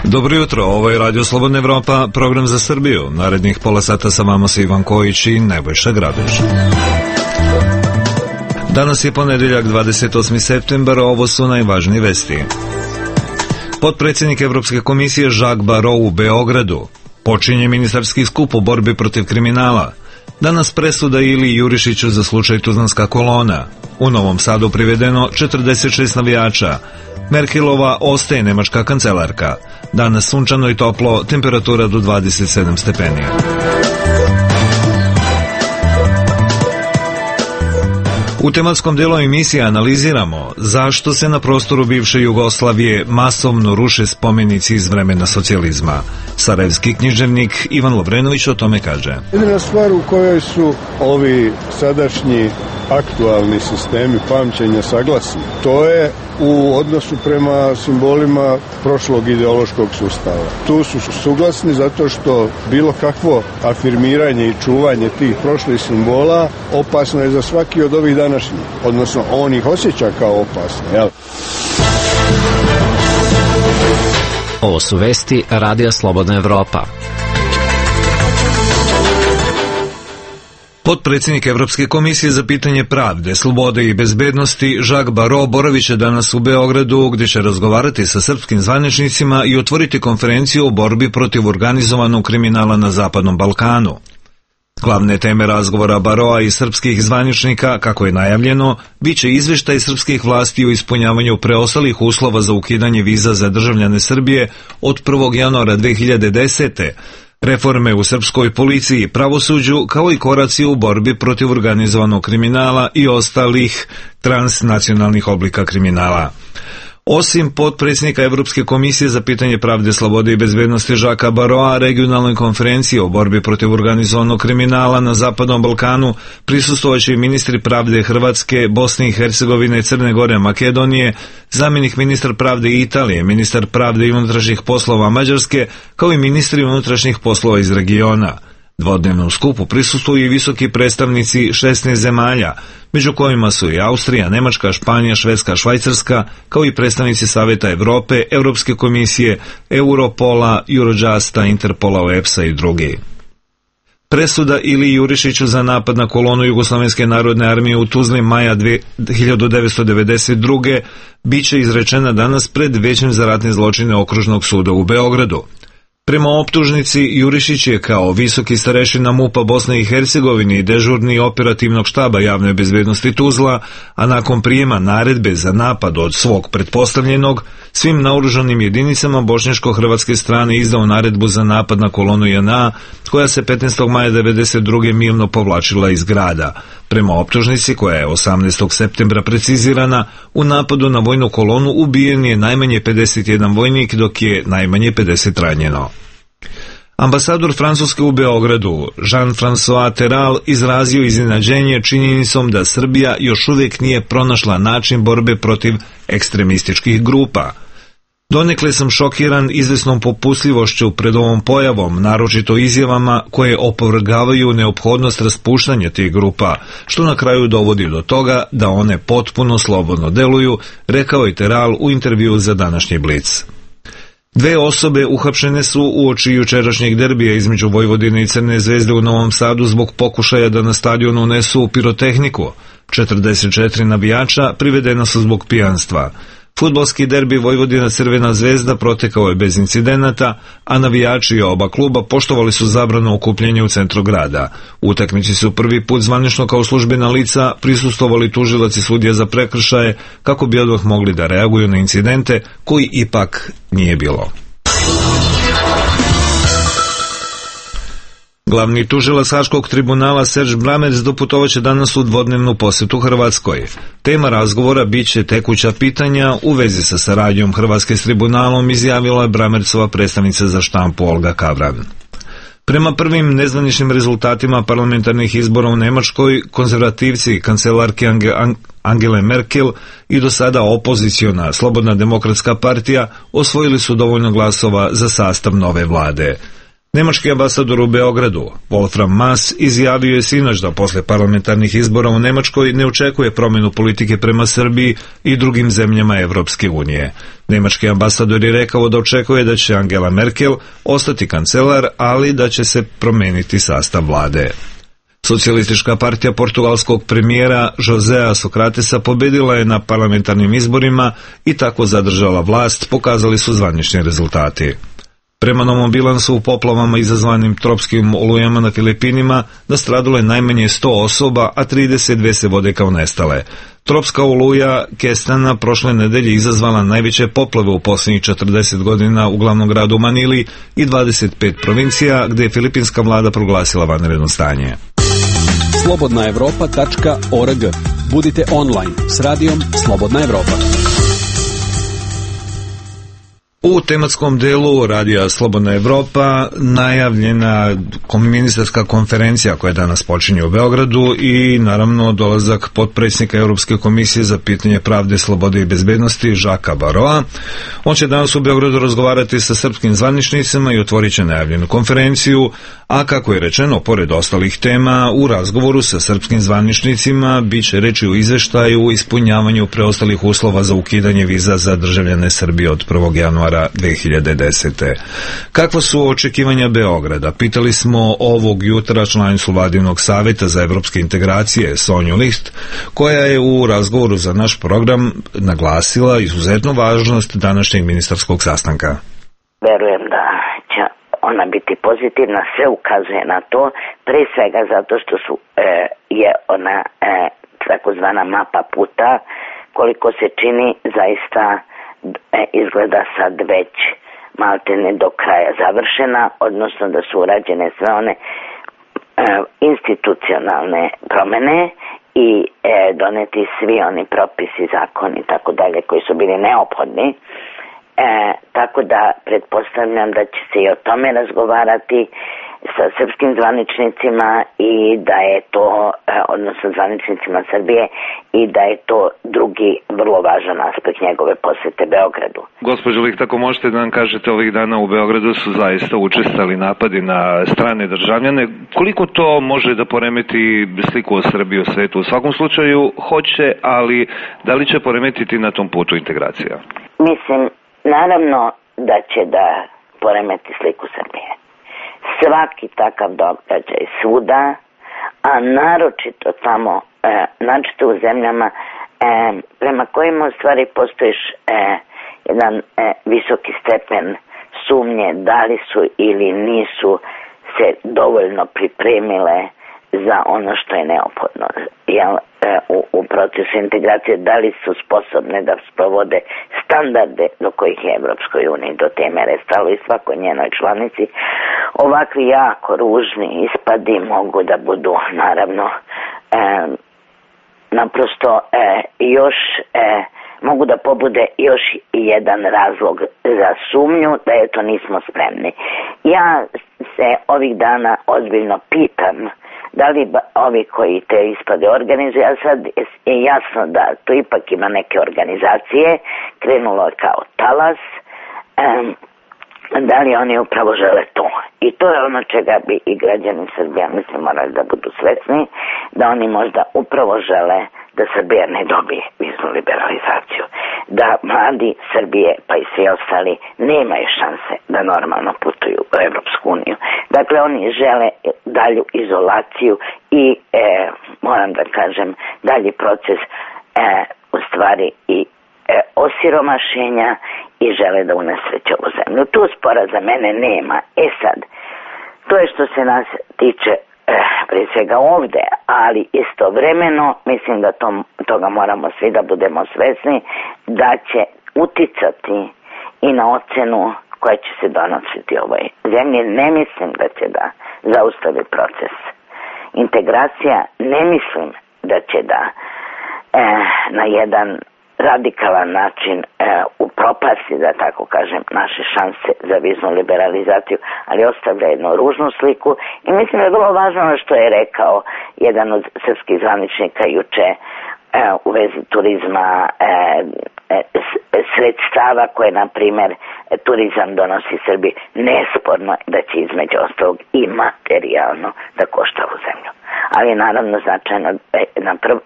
Dobro jutro, ovo je Radio Slobodna Evropa, program za Srbiju. Narednih pola sata sa vama su Ivan Kojić i Nebojša Graduš. Danas je ponedeljak 28. septembar, ovo su najvažnije vesti. Potpredsjednik Evropske komisije Jacques Barrot u Beogradu. Počinje ministarski skup u borbi protiv kriminala. Danas presuda Iliji Jurišiću za slučaj Tuzlanska kolona. U Novom Sadu privedeno 46 navijača. Merkelova ostaje nemačka kancelarka. Danas sunčano i toplo, temperatura do 27 stepeni. U tematskom delu emisije analiziramo zašto se na prostoru bivše Jugoslavije masovno ruše spomenici iz vremena socijalizma. Sarajevski književnik Ivan Lovrenović o tome kaže. Jedina stvar u kojoj su ovi sadašnji aktualni sistemi pamćenja saglasni, to je u odnosu prema simbolima prošlog ideološkog sustava. Tu su suglasni zato što bilo kakvo afirmiranje i čuvanje tih prošlih simbola opasno je za svaki od ovih današnjih, odnosno on ih osjeća kao opasno, jel? Ovo su vesti Radija Slobodna Evropa. Potpredsjednik Evropske komisije za pitanje pravde, slobode i bezbednosti Jacques Barrot boravit će danas u Beogradu, gdje će razgovarati sa srpskim zvaničnicima i otvoriti konferenciju o borbi protiv organizovanog kriminala na Zapadnom Balkanu. Glavne teme razgovora Barrota i srpskih zvaničnika, kako je najavljeno, bit će izvještaj srpskih vlasti o ispunjavanju preostalih uslova za ukidanje viza za državljane Srbije od 1. januara 2010. Reforme u srpskoj policiji i pravosuđu, kao i koraci u borbi protiv organizovanog kriminala i ostalih transnacionalnih oblika kriminala. Osim potpredsjednika Evropske komisije za pitanje pravde, slobode i bezbednosti Jacquesa Barrota, regionalnoj konferenciji o borbi protiv organizovanog kriminala na Zapadnom Balkanu prisustvovaće i ministri pravde Hrvatske, Bosne i Hercegovine, Crne Gore, Makedonije, zamjenik ministar pravde Italije, ministar pravde i unutrašnjih poslova Mađarske, kao i ministri unutrašnjih poslova iz regiona. Dvodnevnom skupu prisustvuju i visoki predstavnici 16 zemalja, među kojima su i Austrija, Nemačka, Španija, Švedska, Švajcarska, kao i predstavnici Saveta Evrope, Europske komisije, Europola, Eurojusta, Interpola, OEPS-a i drugi. Presuda Iliji Jurišiću za napad na kolonu Jugoslovenske narodne armije u Tuzli maja 1992. bit će izrečena danas pred Većem za ratne zločine Okružnog suda u Beogradu. Prema optužnici, Jurišić je kao visoki starešina MUP-a Bosne i Hercegovine i dežurni operativnog štaba javne bezbednosti Tuzla, a nakon prijema naredbe za napad od svog pretpostavljenog, svim naoružanim jedinicama bošnjačko-hrvatske strane izdao naredbu za napad na kolonu JNA, koja se 15. maja 1992. mirno povlačila iz grada. Prema optužnici, koja je 18. septembra precizirana, u napadu na vojnu kolonu ubijen je najmanje 51 vojnik, dok je najmanje 50 ranjeno. Ambasador Francuske u Beogradu, Jean-François Terral, izrazio iznenađenje činjenicom da Srbija još uvijek nije pronašla način borbe protiv ekstremističkih grupa. Donekle sam šokiran izvesnom popustljivošću pred ovom pojavom, naročito izjavama koje opovrgavaju neophodnost raspuštanja tih grupa, što na kraju dovodi do toga da one potpuno slobodno deluju, rekao je Terral u intervjuu za današnji Blic. Dve osobe uhapšene su uoči jučerašnjeg derbija između Vojvodine i Crne Zvezde u Novom Sadu zbog pokušaja da na stadionu unesu pirotehniku. 44 navijača privedena su zbog pijanstva. Fudbalski derbi Vojvodina-Crvena Zvezda protekao je bez incidenata, a navijači oba kluba poštovali su zabranu okupljanja u centru grada. U utakmici su prvi put zvanično kao službena lica prisustvovali tužilac i sudija za prekršaje kako bi odmah mogli da reaguju na incidente koji ipak nije bilo. Glavni tužilac Haškog tribunala Serge Brammertz doputovaće danas u dvodnevnu posjetu Hrvatskoj. Tema razgovora bit će tekuća pitanja u vezi sa saradnjom Hrvatske s tribunalom, izjavila je Brammertzova predstavnica za štampu Olga Kavran. Prema prvim nezvaničnim rezultatima parlamentarnih izbora u Nemačkoj, konzervativci kancelarke Angele Merkel i do sada opoziciona Slobodna demokratska partija osvojili su dovoljno glasova za sastav nove vlade. Nemački ambasador u Beogradu, Wolfram Maass, izjavio je sinoć da posle parlamentarnih izbora u Nemačkoj ne očekuje promjenu politike prema Srbiji i drugim zemljama Evropske unije. Nemački ambasador je rekao da očekuje da će Angela Merkel ostati kancelar, ali da će se promeniti sastav vlade. Socijalistička partija portugalskog premijera Josea Socratesa pobedila je na parlamentarnim izborima i tako zadržala vlast, pokazali su zvanični rezultati. Prema novom bilansu u poplavama izazvanim tropskim olujama na Filipinima nastradalo je najmanje 100 osoba, a 32 se vode kao nestale. Tropska oluja Kestana prošle nedelje izazvala najveće poplave u posljednjih 40 godina u glavnom gradu Manili i 25 provincija, gdje je filipinska vlada proglasila vanredno stanje. Slobodnaevropa.org. Budite online s radijom Slobodna Evropa. U tematskom delu radija Slobodna Evropa najavljena ministarska konferencija koja danas počinje u Beogradu i naravno dolazak potpredsjednika Europske komisije za pitanje pravde, slobode i bezbednosti Žaka Baroa. On će danas u Beogradu razgovarati sa srpskim zvaničnicima i otvorit će najavljenu konferenciju, a kako je rečeno, pored ostalih tema, u razgovoru sa srpskim zvaničnicima bit će reči o izveštaju o ispunjavanju preostalih uslova za ukidanje viza za državljane Srbije od 1. januara 2010. Kakva su očekivanja Beograda? Pitali smo ovog jutra članicu Vladinog savjeta za evropske integracije Sonju Licht, koja je u razgovoru za naš program naglasila izuzetnu važnost današnjeg ministarskog sastanka. Verujem da će ona biti pozitivna, sve ukazuje na to, pre svega zato što je ona takozvana mapa puta, koliko se čini zaista izgleda sad već maltene do kraja završena, odnosno da su urađene sve one institucionalne promene i doneti svi oni propisi, zakoni i tako dalje koji su bili neophodni. Tako da pretpostavljam da će se i o tome razgovarati sa srpskim zvaničnicima i da je to, odnosno zvaničnicima Srbije, i da je to drugi vrlo važan aspekt njegove posete Beogradu. Gospođo Licht, ako možete da nam kažete, ovih dana u Beogradu su zaista učestali napadi na strane državljane. Koliko to može da poremeti sliku o Srbiji u svetu? U svakom slučaju hoće, ali da li će poremetiti na tom putu integracija? Mislim, naravno da će da poremeti sliku Srbije. Svaki takav događaj svuda, a naročito tamo, naročito u zemljama prema kojima u stvari postojiš jedan visoki stepen sumnje da li su ili nisu se dovoljno pripremile za ono što je neophodno u procesu integracije, da li su sposobne da sprovode standarde do kojih je Evropskoj uniji do te mere stalo i svakoj njenoj članici. Ovakvi jako ružni ispadi mogu da budu naravno naprosto još mogu da pobude još jedan razlog za sumnju da eto nismo spremni. Ja se ovih dana ozbiljno pitam da li ovi koji te ispade organizuju, a sad je jasno da to ipak ima neke organizacije, krenulo je kao talas, da li oni upravo žele to. I to je ono čega bi i građani Srbije, mislim, morali da budu svesni, da oni možda upravo žele da Srbija ne dobije viznu liberalizaciju, da mladi Srbije pa i svi ostali nemaju šanse da normalno putuju u Evropsku uniju. Dakle, oni žele dalju izolaciju i moram da kažem dalji proces u stvari i osiromašenja i žele da unesreće ovu zemlju. Tu spora za mene nema. Sad, to je što se nas tiče prije svega ovde, ali istovremeno mislim da toga moramo svi da budemo svesni da će uticati i na ocenu koja će se donositi ovoj zemlji. Ne mislim da će da zaustavi proces integracija, ne mislim da će da na jedan radikalan način upropasti, da tako kažem, naše šanse za viznu liberalizaciju, ali ostavlja jednu ružnu sliku i mislim da je vrlo važno što je rekao jedan od srpskih zvaničnika juče u vezi turizma sredstava koje, na primjer, turizam donosi Srbiji, nesporno da će između ostalog i materijalno da košta ovu zemlju. Ali naravno značajno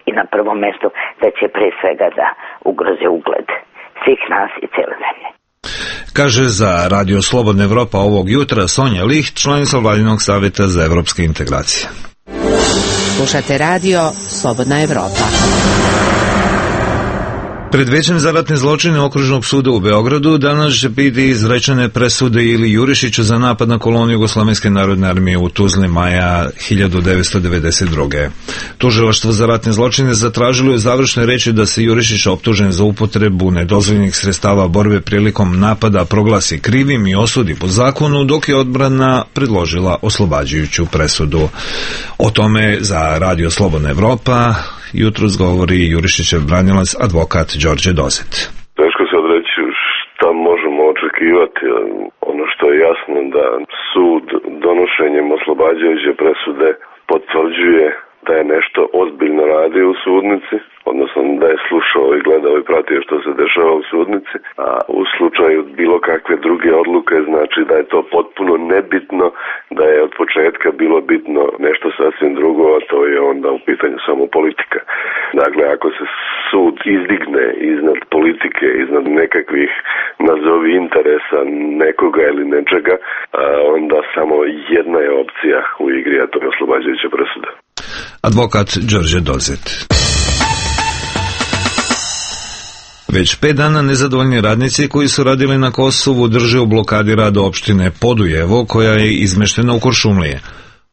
i na prvom mjestu da će pre svega da ugroze ugled svih nas i cijele zemlje. Kaže za Radio Slobodna Evropa ovog jutra Sonja Licht, članica Vladinog savjeta za evropske integracije. Slušate Radio Slobodna Evropa. Pred Većem za ratne zločine Okružnog suda u Beogradu danas će biti izrečene presude Ili Jurišiću za napad na kolonu Jugoslovenske narodne armije u Tuzli maja 1992. Tužilaštvo za ratne zločine zatražilo je završnoj reči da se Jurišić optužen za upotrebu nedozvoljenih sredstava borbe prilikom napada proglasi krivim i osudi po zakonu, dok je odbrana predložila oslobađajuću presudu. O tome za Radio Slobodna Evropa jutros govori Jurišićev branilac, advokat Đorđe Dozet. Teško sad reći šta možemo očekivati. Ono što je jasno da sud donošenjem oslobađajuće presude potvrđuje da je nešto ozbiljno radio u sudnici, odnosno da je slušao i gledao i pratio što se dešava u sudnici, a u slučaju bilo kakve druge odluke znači da je to potpuno nebitno, da je od početka bilo bitno nešto sasvim drugo, a to je onda u pitanju samo politika. Dakle, ako se sud izdigne iznad politike, iznad nekakvih nazovi interesa nekoga ili nečega, onda samo jedna je opcija u igri, a to je oslobađajuća presuda. Advokat Đorđe Dozet. Već 5 dana nezadovoljni radnici koji su radili na Kosovu drže u blokadi rada opštine Podujevo, koja je izmeštena u Kuršumlije.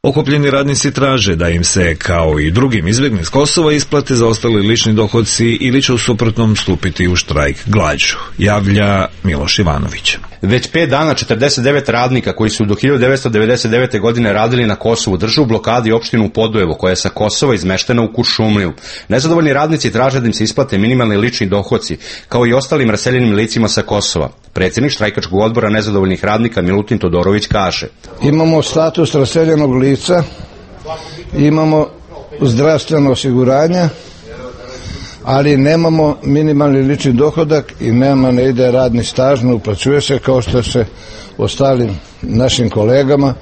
Okupljeni radnici traže da im se, kao i drugim izbjegli s Kosova, isplate zaostali lični dohodci ili će u suprotnom stupiti u štrajk glađu, javlja Miloš Ivanović. Već 5 dana 49 radnika koji su do 1999. godine radili na Kosovu drže u blokadi opštinu Podujevo, koja je sa Kosova izmeštena u Kuršumliju. Nezadovoljni radnici traže da im se isplate minimalni lični dohodci, kao i ostalim raseljenim licima sa Kosova. Predsjednik štrajkačkog odbora nezadovoljnih radnika Milutin Todorović kaže: imamo status raseljenog lica, imamo zdravstveno osiguranje, ali nemamo minimalni lični dohodak i ne ide radni staž, ne uplaćuje se kao što se ostalim našim kolegama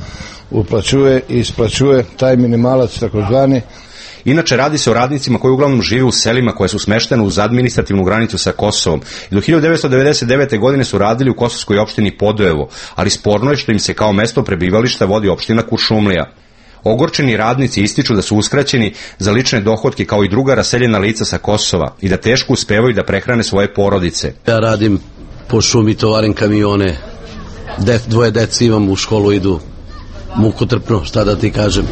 uplaćuje i isplaćuje taj minimalac takozvani. Inače, radi se o radnicima koji uglavnom žive u selima koje su smeštene uz administrativnu granicu sa Kosovom. I do 1999. godine su radili u kosovskoj opštini Podujevo, ali sporno je što im se kao mesto prebivališta vodi opština Kuršumlija. Ogorčeni radnici ističu da su uskraćeni za lične dohotke kao i druga raseljena lica sa Kosova i da teško uspevaju da prehrane svoje porodice. Ja radim po šumi, tovarim kamione, dvoje dece imam, u školu idu, mukotrpno, šta da ti kažem.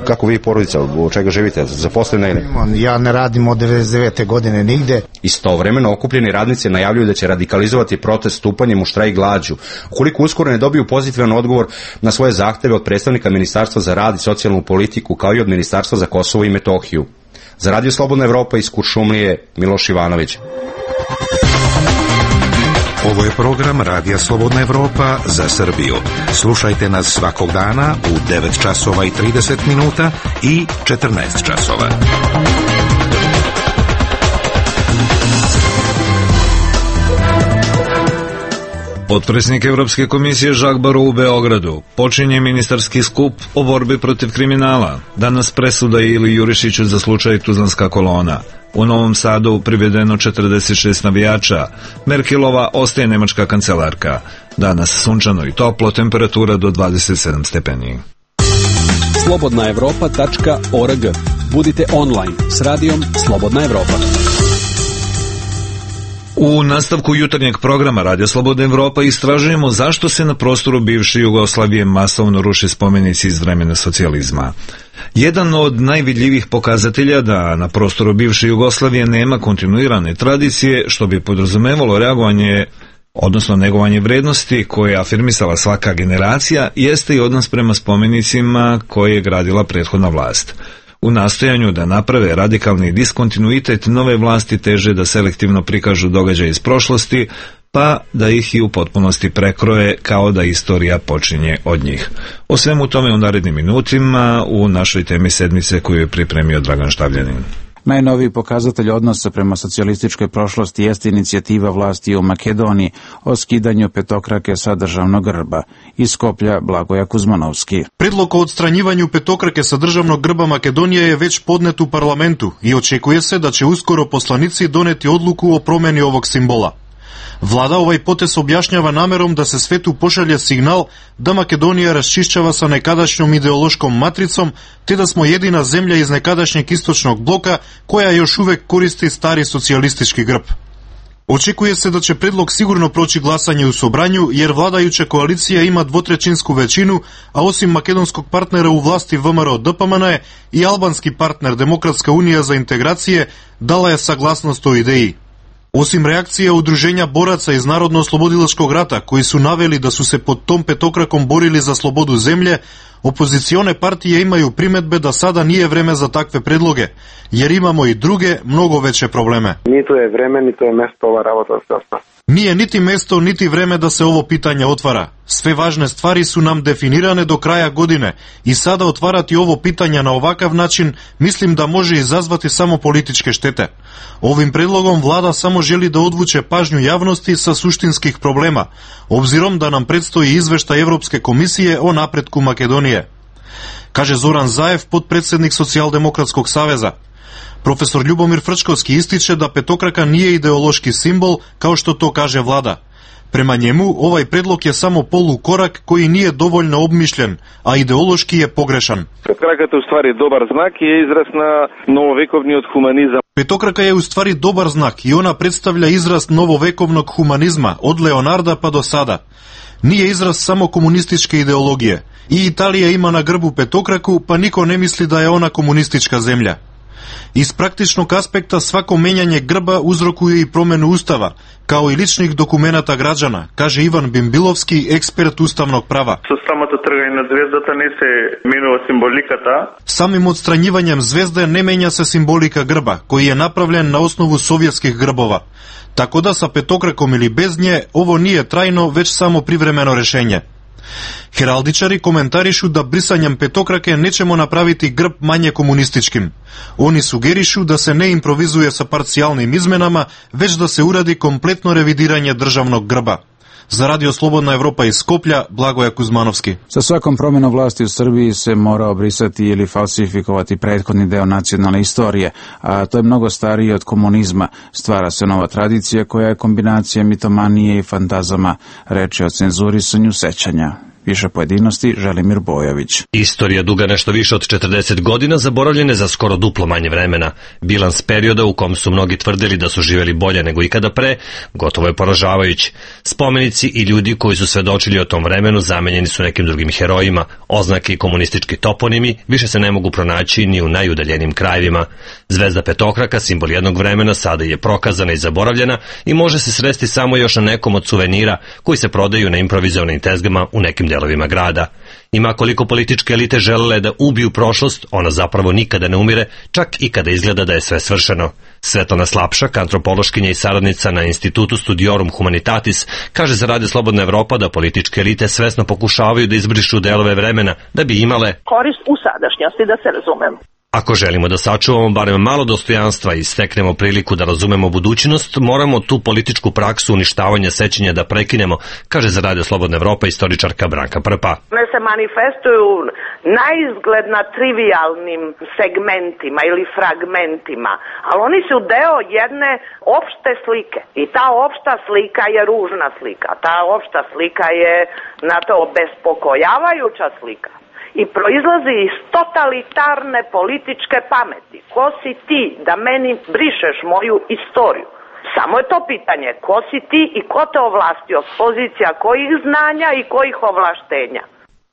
Kako vi porodica, od čega živite, zaposleni ili? Ja ne radim od 99. godine nigde. Istovremeno okupljeni radnici najavljuju da će radikalizovati protest stupanjem u štrajk glađu. Ukoliko uskoro ne dobiju pozitivan odgovor na svoje zahteve od predstavnika Ministarstva za rad i socijalnu politiku, kao i od Ministarstva za Kosovo i Metohiju. Za Radio Slobodna Evropa iz Kuršumlije, Miloš Ivanović. Ovo je program Radija Slobodna Evropa za Srbiju. Slušajte nas svakog dana u 9 časova i 30 minuta i 14 časova. Potpredsjednik Evropske komisije Jacques Barrot u Beogradu. Počinje ministarski skup o borbi protiv kriminala. Danas presuda Ili Jurišiću za slučaj Tuzlanska kolona. U Novom Sadu privedeno 46 navijača. Merkelova ostaje nemačka kancelarka. Danas sunčano i toplo, temperatura do 27 stepeni. slobodnaevropa.org. Budite online s radijom Slobodna Evropa. U nastavku jutarnjeg programa Radio Slobodna Evropa istražujemo zašto se na prostoru bivše Jugoslavije masovno ruše spomenici iz vremena socijalizma. Jedan od najvidljivijih pokazatelja da na prostoru bivše Jugoslavije nema kontinuirane tradicije, što bi podrazumevalo reagovanje, odnosno negovanje vrednosti koje je afirmisala svaka generacija, jeste i odnos prema spomenicima koje je gradila prethodna vlast. U nastojanju da naprave radikalni diskontinuitet, nove vlasti teže da selektivno prikažu događaje iz prošlosti, pa da ih i u potpunosti prekroje kao da istorija počinje od njih. O svemu tome u narednim minutima u našoj temi sedmice koju je pripremio Dragan Štavljanin. Najnoviji pokazatelj odnosa prema socijalističkoj prošlosti jeste inicijativa vlasti u Makedoniji o skidanju petokrake sa državnog grba. Iz Skoplja Blagoja Kuzmanovski. Predlog o odstranjivanju petokrake sa državnog grba Makedonije je već podnet u parlamentu i očekuje se da će uskoro poslanici doneti odluku o promeni ovog simbola. Vlada ovaj potez objašnjava namerom da se svetu pošalje signal da Makedonija raščišćava sa nekadašnjom ideološkom matricom, te da smo jedina zemlja iz nekadašnjeg istočnog bloka koja još uvek koristi stari socijalistički grb. Očekuje se da će predlog sigurno proći glasanje u Sobranju, jer vladajuća koalicija ima dvotrećinsku većinu, a osim makedonskog partnera u vlasti VMRO-DPMN i albanski partner Demokratska unija za integracije dala je saglasnost o ideji. Osim reakcije udruženja boraca iz Narodno-oslobodilačkog rata, koji su naveli da su se pod tom petokrakom borili za slobodu zemlje, opozicione partije imaju primetbe da sada nije vreme za takve predloge, jer imamo i druge, mnogo veće probleme. Niti je vreme, niti je mesto ova rabota se ostaje. Nije niti mesto, niti vreme da se ovo pitanje otvara. Sve važne stvari su nam definirane do kraja godine i sada otvarati ovo pitanje na ovakav način mislim da može izazvati samo političke štete. Ovim predlogom vlada samo želi da odvuče pažnju javnosti sa suštinskih problema, obzirom da nam predstoji izveštaj Evropske komisije o napretku Makedonije. Kaže Zoran Zaev, potpredsednik Socijaldemokratskog saveza. Profesor Ljubomir Frčkovski ističe da petokraka nije ideološki simbol, kao što to kaže vlada. Prema njemu, ovaj predlog je samo polukorak koji nije dovoljno obmišljen, a ideološki je pogrešan. Petokraka je u stvari dobar znak i je izraz na novovekovni od humanizam. Petokraka je u stvari dobar znak i ona predstavlja izraz novovekovnog humanizma, od Leonarda pa do sada. Nije izraz samo komunističke ideologije. I Italija ima na grbu petokraku, pa niko ne misli da je ona komunistička zemlja. Iz praktičnog aspekta svako menjanje grba uzrokuje i promenu ustava, kao i ličnih dokumenata građana, kaže Ivan Bimbilovski, ekspert ustavnog prava. Samim odstranjivanjem zvezde ne menja se simbolika grba, koji je napravljen na osnovu sovjetskih grbova. Tako da sa petokrakom ili bez nje ovo nije trajno, već samo privremeno rešenje. Heraldičari komentarišu da brisanjem petokrake nećemo napraviti grb manje komunističkim. Oni sugerišu da se ne improvizuje sa parcijalnim izmenama, već da se uradi kompletno revidiranje državnog grba. Za Radio Slobodna Evropa iz Skoplja, Blagoja Kuzmanovski. Sa svakom promjenom vlasti u Srbiji se mora obrisati ili falsifikovati prethodni deo nacionalne istorije, a to je mnogo starije od komunizma. Stvara se nova tradicija koja je kombinacija mitomanije i fantazama, reče o cenzurisanju sećanja. Više pojedinosti, Želimir Bojović. Istorija duga nešto više od 40 godina zaboravljene za skoro duplo manje vremena. Bilans perioda u kom su mnogi tvrdili da su živjeli bolje nego ikada pre, gotovo je poražavajući. Spomenici i ljudi koji su svedočili o tom vremenu zamenjeni su nekim drugim herojima. Oznake i komunistički toponimi više se ne mogu pronaći ni u najudaljenim krajevima. Zvezda petokraka, simbol jednog vremena, sada je prokazana i zaboravljena i može se sresti samo još na nekom od suvenira koji se prodaju na improvizovanim tezgama u nekim delovima grada. Ima koliko političke elite želele da ubiju prošlost, ona zapravo nikada ne umire, čak i kada izgleda da je sve svršeno. Svetlana Slapšak, antropološkinja i saradnica na Institutu Studiorum Humanitatis, kaže za Radio Slobodna Evropa da političke elite svesno pokušavaju da izbrišu delove vremena da bi imale korist u sadašnjosti, da se razumemo. Ako želimo da sačuvamo barem malo dostojanstva i steknemo priliku da razumemo budućnost, moramo tu političku praksu uništavanja sećanja da prekinemo, kaže za Radio Slobodna Evropa istoričarka Branka Prpa. One se manifestuju naizgled na trivialnim segmentima ili fragmentima, ali oni su deo jedne opšte slike. I ta opšta slika je ružna slika. Ta opšta slika je na to bespokojavajuća slika. I proizlazi iz totalitarne političke pameti. Ko si ti da meni brišeš moju istoriju? Samo je to pitanje. Ko si ti i ko te ovlastio? Pozicija kojih znanja i kojih ovlaštenja?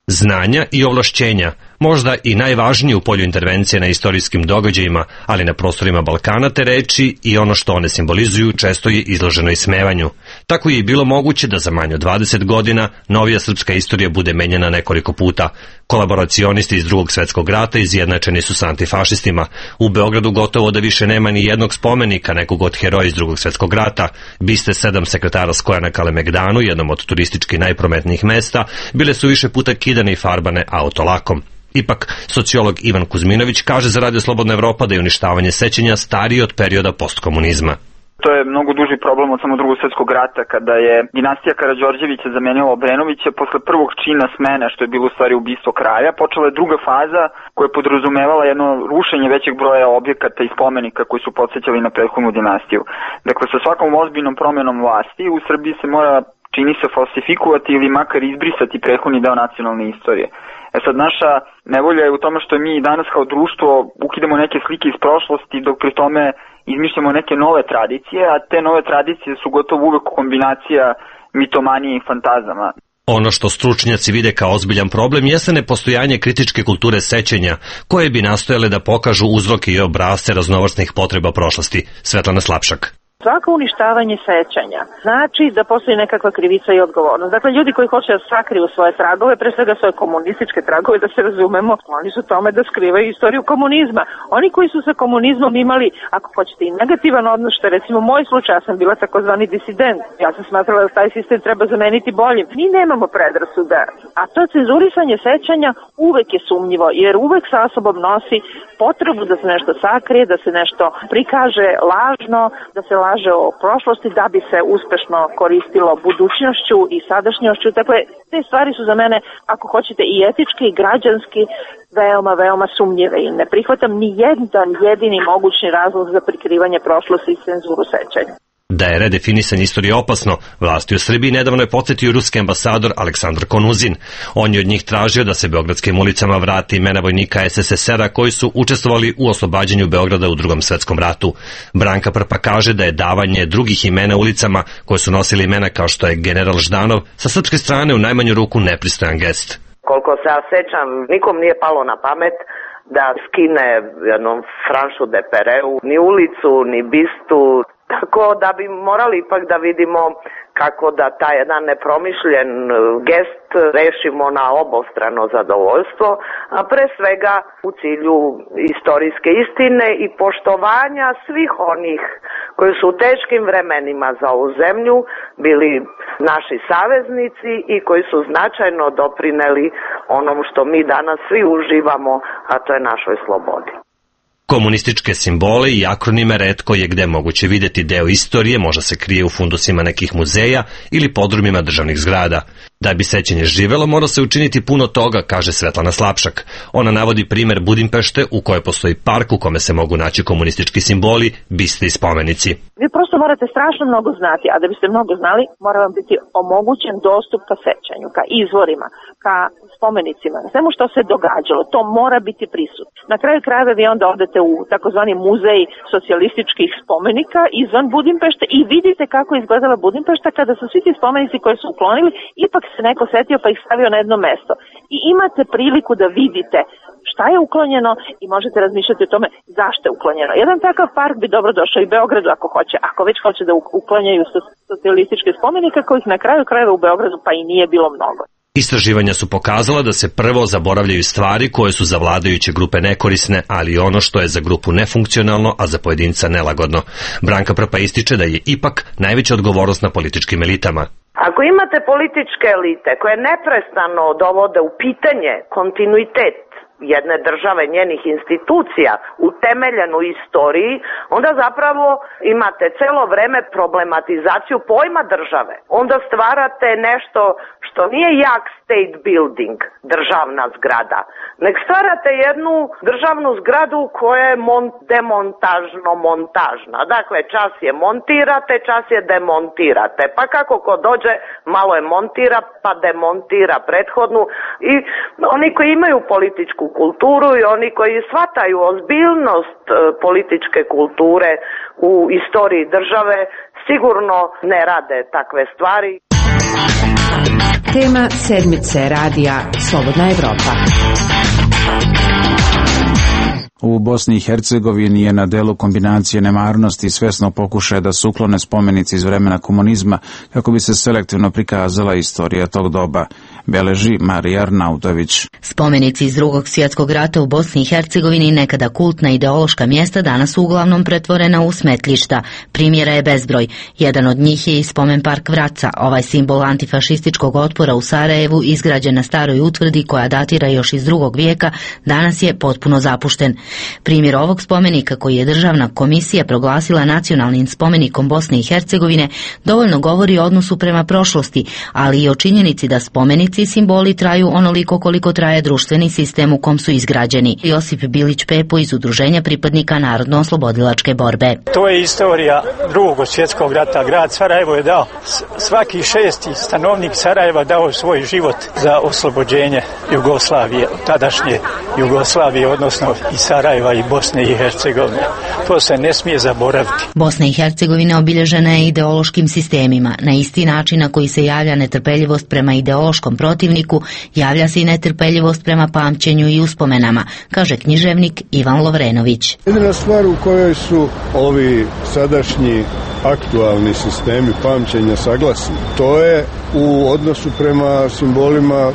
Znanja i ovlašćenja, možda i najvažnije u polju intervencije na istorijskim događajima, ali na prostorima Balkana te reči i ono što one simbolizuju često je izloženo ismevanju. Tako je i bilo moguće da za manje od 20 godina novija srpska istorija bude menjana nekoliko puta. Kolaboracionisti iz Drugog svetskog rata izjednačeni su sa antifašistima. U Beogradu gotovo da više nema ni jednog spomenika nekog od heroja iz Drugog svetskog rata. Biste 7 sekretara Skoja na Kalemegdanu, jednom od turistički najprometnijih mesta, bile su više puta kidane i farbane autolakom. Ipak, sociolog Ivan Kuzminović kaže za Radio Slobodna Evropa da je uništavanje sećanja starije od perioda postkomunizma. To je mnogo duži problem od samo Drugog svjetskog rata, kada je dinastija Karađorđevića zamenila Obrenovića posle prvog čina smene, što je bilo u stvari ubistvo kralja. Počela je druga faza koja je podrazumevala jedno rušenje većeg broja objekata i spomenika koji su podsjećali na prethodnu dinastiju. Dakle, sa svakom ozbiljnom promjenom vlasti u Srbiji se mora, čini se, falsifikovati ili makar izbrisati prethodni deo nacionalne istorije. Sad, naša nevolja je u tome što mi danas kao društvo ukidamo neke slike iz prošlosti, dok pri tome izmišljamo neke nove tradicije, a te nove tradicije su gotovo uvek kombinacija mitomanije i fantazama. Ono što stručnjaci vide kao ozbiljan problem jeste nepostojanje kritičke kulture sećanja, koje bi nastojale da pokažu uzroke i obrasce raznovrsnih potreba prošlosti. Svetlana Slapšak. Svako uništavanje sećanja znači da postoji nekakva krivica i odgovornost. Dakle, ljudi koji hoće da sakriju svoje tragove, pre svega svoje komunističke tragove, da se razumemo, oni su tome da skrivaju istoriju komunizma. Oni koji su sa komunizmom imali, ako hoćete, i negativan odnos, što je recimo moj slučaj, ja sam bila takozvani disident. Ja sam smatrala da taj sistem treba zameniti boljim. Mi nemamo predrasuda, a to cenzurisanje sećanja uvek je sumnjivo, jer uvek sa sobom nosi potrebu da se nešto sakrije, da se nešto prikaže lažno, da se laže o prošlosti da bi se uspešno koristilo budućnošću i sadašnjošću. Dakle, te stvari su za mene, ako hoćete, i etički i građanski veoma sumnjive i ne prihvatam ni jedan jedini mogućni razlog za prikrivanje prošlosti i cenzuru sećanja. Da je redefinisanje istorije opasno, vlasti u Srbiji nedavno je podsjetio ruski ambasador Aleksandar Konuzin. On je od njih tražio da se beogradskim ulicama vrati imena vojnika SSSR-a koji su učestvovali u oslobađanju Beograda u Drugom svetskom ratu. Branka Prpa kaže da je davanje drugih imena ulicama koje su nosili imena kao što je general Ždanov sa srpske strane u najmanju ruku nepristojan gest. Koliko se ja sećam, nikom nije palo na pamet da skine jednom Franšu de Pereu, ni ulicu, ni bistu. Tako da bi morali ipak da vidimo kako da taj jedan nepromišljen gest rešimo na obostrano zadovoljstvo, a pre svega u cilju istorijske istine i poštovanja svih onih koji su u teškim vremenima za ovu zemlju bili naši saveznici i koji su značajno doprineli onom što mi danas svi uživamo, a to je našoj slobodi. Komunističke simbole i akronime retko je gde moguće videti. Deo istorije možda se krije u fundusima nekih muzeja ili podrumima državnih zgrada. Da bi sećanje živelo, mora se učiniti puno toga, kaže Svetlana Slapšak. Ona navodi primer Budimpešte u kojoj postoji park u kome se mogu naći komunistički simboli, biste i spomenici. Vi prosto morate strašno mnogo znati, a da biste mnogo znali, mora vam biti omogućen dostup ka sećanju, ka izvorima, ka spomenicima, svemu što se događalo. To mora biti prisutno. Na kraju krajeva vi onda odete u takozvani muzej socijalističkih spomenika izvan Budimpešte i vidite kako je izgledala Budimpešta kada su svi ti spomenici koje su uklonili, ipak se neko setio pa ih stavio na jedno mesto. I imate priliku da vidite šta je uklonjeno i možete razmišljati o tome zašto je uklonjeno. Jedan takav park bi dobro došao i Beogradu ako hoće. Ako već hoće da uklanjaju socijalističke spomenike kojih na kraju krajeva u Beogradu pa i nije bilo mnogo. Istraživanja su pokazala da se prvo zaboravljaju stvari koje su za vladajuće grupe nekorisne, ali i ono što je za grupu nefunkcionalno, a za pojedinca nelagodno. Branka Prpa ističe da je ipak najveća odgovornost na političkim elitama. Ako imate političke elite koje neprestano dovode u pitanje kontinuitet jedne države, njenih institucija, utemeljenu u istoriji, onda zapravo imate celo vreme problematizaciju pojma države. Onda stvarate nešto što nije jak state building, državna zgrada, nek stvarate jednu državnu zgradu koja je demontažno-montažna. Dakle, čas je montirate, čas je demontirate. Pa kako ko dođe, malo je montira, pa demontira prethodnu. I oni koji imaju političku kulturu i oni koji shvataju ozbiljnost političke kulture u istoriji države sigurno ne rade takve stvari. Tema sedmice radija Slobodna Evropa. U Bosni i Hercegovini je na delu kombinacije nemarnosti i svesno pokušaja da se uklone spomenici iz vremena komunizma kako bi se selektivno prikazala istorija tog doba. beleži Marija Arnautović. Spomenici iz Drugog svjetskog rata u Bosni i Hercegovini, nekada kultna ideološka mjesta, danas su uglavnom pretvorena u smetlišta. Primjera je bezbroj. Jedan od njih je i spomen park Vraca, ovaj simbol antifašističkog otpora u Sarajevu, izgrađen na staroj utvrdi koja datira još iz 2. vijeka, danas je potpuno zapušten. Primjer ovog spomenika, koji je Državna komisija proglasila nacionalnim spomenikom Bosne i Hercegovine, dovoljno govori o odnosu prema prošlosti, ali i o činjenici da spomenici i simboli traju onoliko koliko traje društveni sistem u kom su izgrađeni. Josip Bilić Pepo iz Udruženja pripadnika Narodno-oslobodilačke borbe. To je istorija Drugog svjetskog rata. Grad Sarajevo je dao, svaki 6. stanovnik Sarajeva dao svoj život za oslobođenje Jugoslavije, tadašnje Jugoslavije, odnosno i Sarajeva i Bosne i Hercegovine. To se ne smije zaboraviti. Bosna i Hercegovina obilježena je ideološkim sistemima. Na isti način na koji se javlja netrpeljivost prema ideološkom protivniku, javlja se i netrpeljivost prema pamćenju i uspomenama, kaže književnik Ivan Lovrenović. Jedina stvar u kojoj su ovi sadašnji aktualni sistemi pamćenja saglasni, to je u odnosu prema simbolima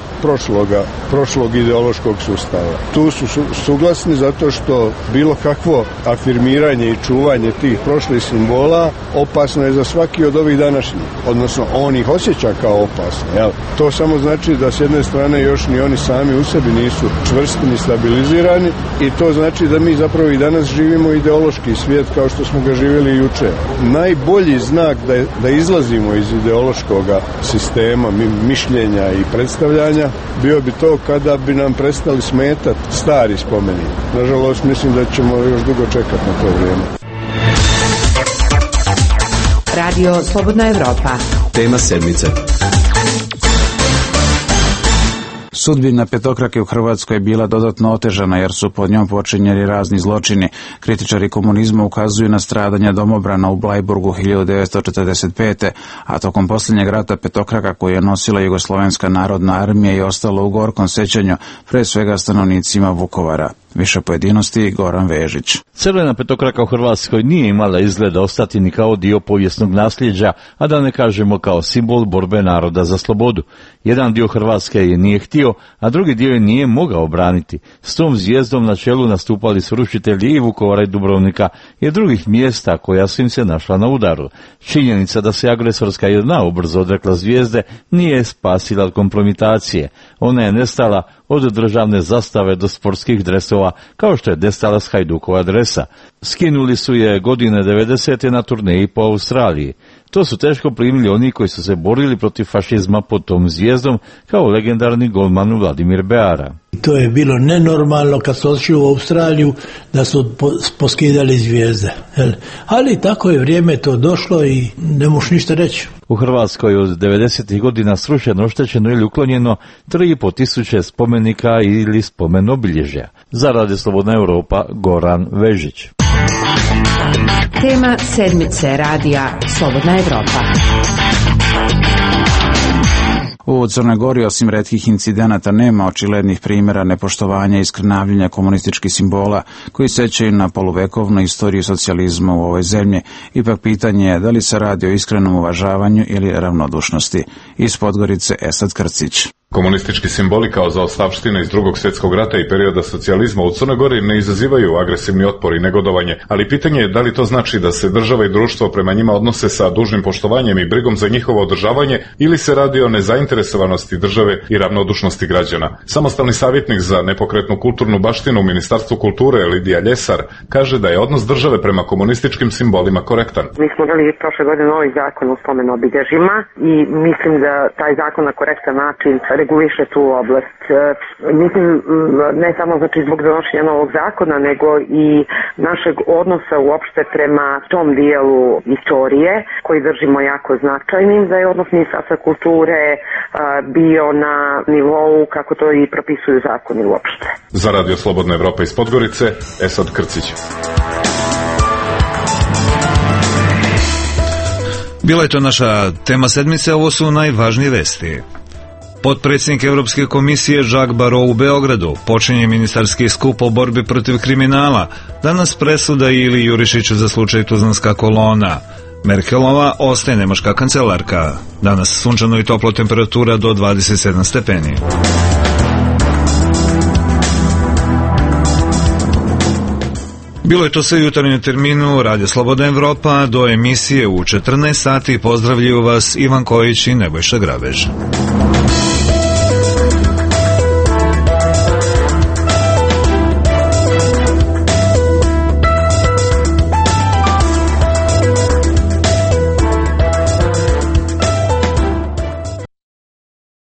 prošlog ideološkog sustava. Tu su suglasni zato što bilo kakvo afirmiranje i čuvanje tih prošlih simbola opasno je za svaki od ovih današnjih, odnosno on ih osjeća kao opasno. Jel? To samo znači da s jedne strane još ni oni sami u sebi nisu čvrsti ni stabilizirani i to znači da mi zapravo i danas živimo ideološki svijet kao što smo ga živjeli juče. Najbolji znak da izlazimo iz ideološkog sistema mišljenja i predstavljanja bio bi to kada bi nam prestali smetati stari spomeni. Nažalost, mislim da ćemo još dugo čekati na to vrijeme. Radio Slobodna Evropa. Tema sedmice. Sudbina petokrake u Hrvatskoj je bila dodatno otežana jer su pod njom počinjeni razni zločini. Kritičari komunizma ukazuju na stradanja domobrana u Blajburgu 1945. a tokom posljednjeg rata petokraka koju je nosila Jugoslovenska narodna armija je ostala u gorkom sećanju, pre svega stanovnicima Vukovara. Više pojedinosti Goran Vežić. Crvena petokraka u Hrvatskoj nije imala izgleda ostati ni kao dio povijesnog nasljeđa, a da ne kažemo kao simbol borbe naroda za slobodu. Jedan dio Hrvatske je nije htio, a drugi dio je nije mogao braniti. S tom zvijezdom na čelu nastupali su rušitelji i Vukovara i Dubrovnika i drugih mjesta koja su im se našla na udaru. Činjenica da se agresorska jedna ubrzo odrekla zvijezde nije spasila od kompromitacije. Ona je nestala od državne zastave do sportskih dresova, kao što je nestala s Hajdukova dresa. Skinuli su je godine 90. na turneji po Australiji. To su teško primili oni koji su se borili protiv fašizma pod tom zvijezdom, kao legendarni golman Vladimir Beara. To je bilo nenormalno kad su otišli u Australiju da su poskidali zvijezde. Ali tako je vrijeme to došlo i ne možeš ništa reći. U Hrvatskoj od 90. godina srušeno, oštećeno ili uklonjeno 3.500 spomenika ili spomen obilježja. Za Radio Slobodna Evropa, Goran Vežić. Tema sedmice radija Slobodna Evropa. U Crnoj Gori osim retkih incidenata nema očiglednih primjera nepoštovanja i skrnavljenja komunističkih simbola koji sećaju na poluvekovnu istoriju socijalizma u ovoj zemlji. Ipak pitanje je da li se radi o iskrenom uvažavanju ili ravnodušnosti. Iz Podgorice Esad Krcić. Komunistički simboli kao zaostavština iz Drugog svjetskog rata i perioda socijalizma u Crnoj Gori ne izazivaju agresivni otpor i negodovanje, ali pitanje je da li to znači da se država i društvo prema njima odnose sa dužnim poštovanjem i brigom za njihovo održavanje ili se radi o nezainteresovanosti države i ravnodušnosti građana. Samostalni savjetnik za nepokretnu kulturnu baštinu u Ministarstvu kulture Lidija Ljesar kaže da je odnos države prema komunističkim simbolima korektan. Mi smo imali prošle godine novi zakon o spomen obilježjima i mislim da taj zakon na korektan način reguliše tu oblast. Mislim, ne samo znači zbog donošenja novog zakona, nego i našeg odnosa uopšte prema tom dijelu istorije koji držimo jako značajnim, da je odnos Ministarstva kulture bio na nivou kako to i propisuju zakoni uopšte. Za Radio Slobodna Evropa iz Podgorice, Esad Krcić. Bila je to naša tema sedmice, ovo su najvažnije vesti. Potpredsjednik Europske komisije Jacques Barrot u Beogradu, počinje ministarski skup o borbi protiv kriminala, danas presuda Ili Jurišiću za slučaj Tuzlanska kolona. Merkelova ostaje nemačka kancelarka. Danas sunčano i toplo, temperatura do 27 stepeni. Bilo je to sve u jutarnjem terminu Radio Slobodna Evropa. Do emisije u 14 sati pozdravljaju vas Ivan Kojić i Nebojša Grabež.